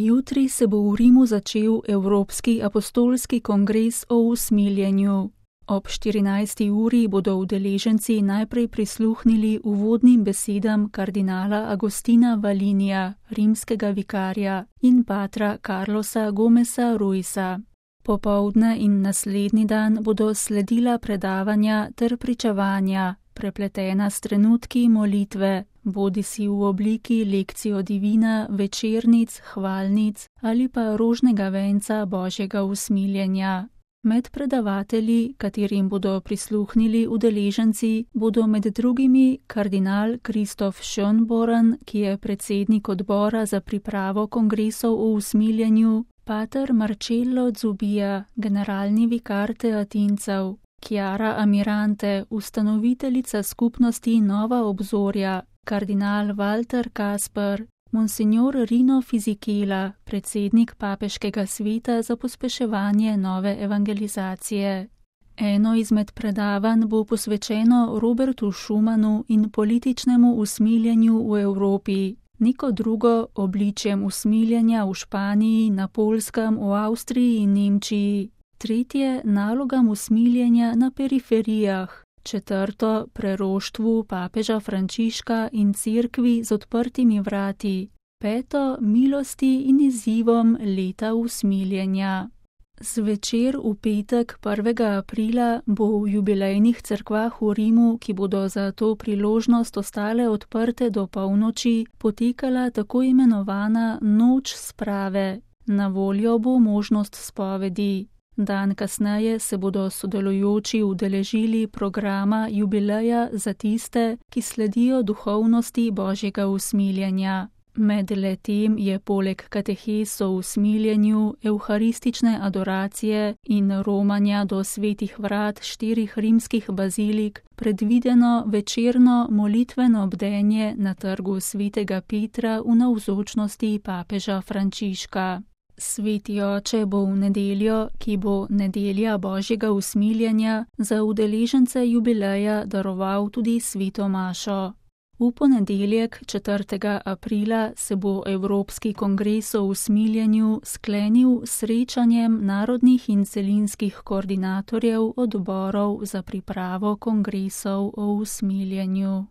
Jutri se bo v Rimu začel Evropski apostolski kongres o usmiljenju. Ob 14. uri bodo udeleženci najprej prisluhnili uvodnim besedam kardinala Agostina Valinija, rimskega vikarja, in patra Carlosa Gomesa Ruisa. Popoldne in naslednji dan bodo sledila predavanja ter pričevanja, prepletena s trenutki molitve, bodisi v obliki lekcijo divina, večernic, hvalnic ali pa rožnega venca Božjega usmiljenja. Med predavatelji, katerim bodo prisluhnili udeleženci, bodo med drugimi kardinal Kristof Schönborn, ki je predsednik odbora za pripravo kongresov o usmiljenju, pater Marcello Zubia, generalni vikar Teatincev, Chiara Amirante, ustanoviteljica skupnosti Nova obzorja, kardinal Walter Kasper, monsignor Rino Fisichella, predsednik papeškega sveta za pospeševanje nove evangelizacije. Eno izmed predavanj bo posvečeno Robertu Schumanu in političnemu usmiljenju v Evropi, neko drugo obličjem usmiljenja v Španiji, na Poljskem, v Avstriji in Nemčiji, tretje nalogam usmiljenja na periferijah, četrto preroštvu papeža Frančiška in cerkvi z odprtimi vrati, peto milosti in izzivom leta usmiljenja. Zvečer v petek 1. aprila bo v jubilejnih cerkvah v Rimu, ki bodo za to priložnost ostale odprte do polnoči, potekala tako imenovana noč sprave. Na voljo bo možnost spovedi. Dan kasneje se bodo sodelujoči udeležili programa jubileja za tiste, ki sledijo duhovnosti Božjega usmiljenja. Med letem je poleg katehes o usmiljenju, evharistične adoracije in romanja do svetih vrat 4 rimskih bazilik predvideno večerno molitveno bdenje na trgu svetega Petra v navzočnosti papeža Frančiška. Sveti oče bo v nedeljo, ki bo nedelja Božjega usmiljenja, za udeležence jubileja daroval tudi sveto mašo. V ponedeljek 4. aprila se bo Evropski kongres o usmiljenju sklenil s srečanjem narodnih in celinskih koordinatorjev odborov za pripravo kongresov o usmiljenju.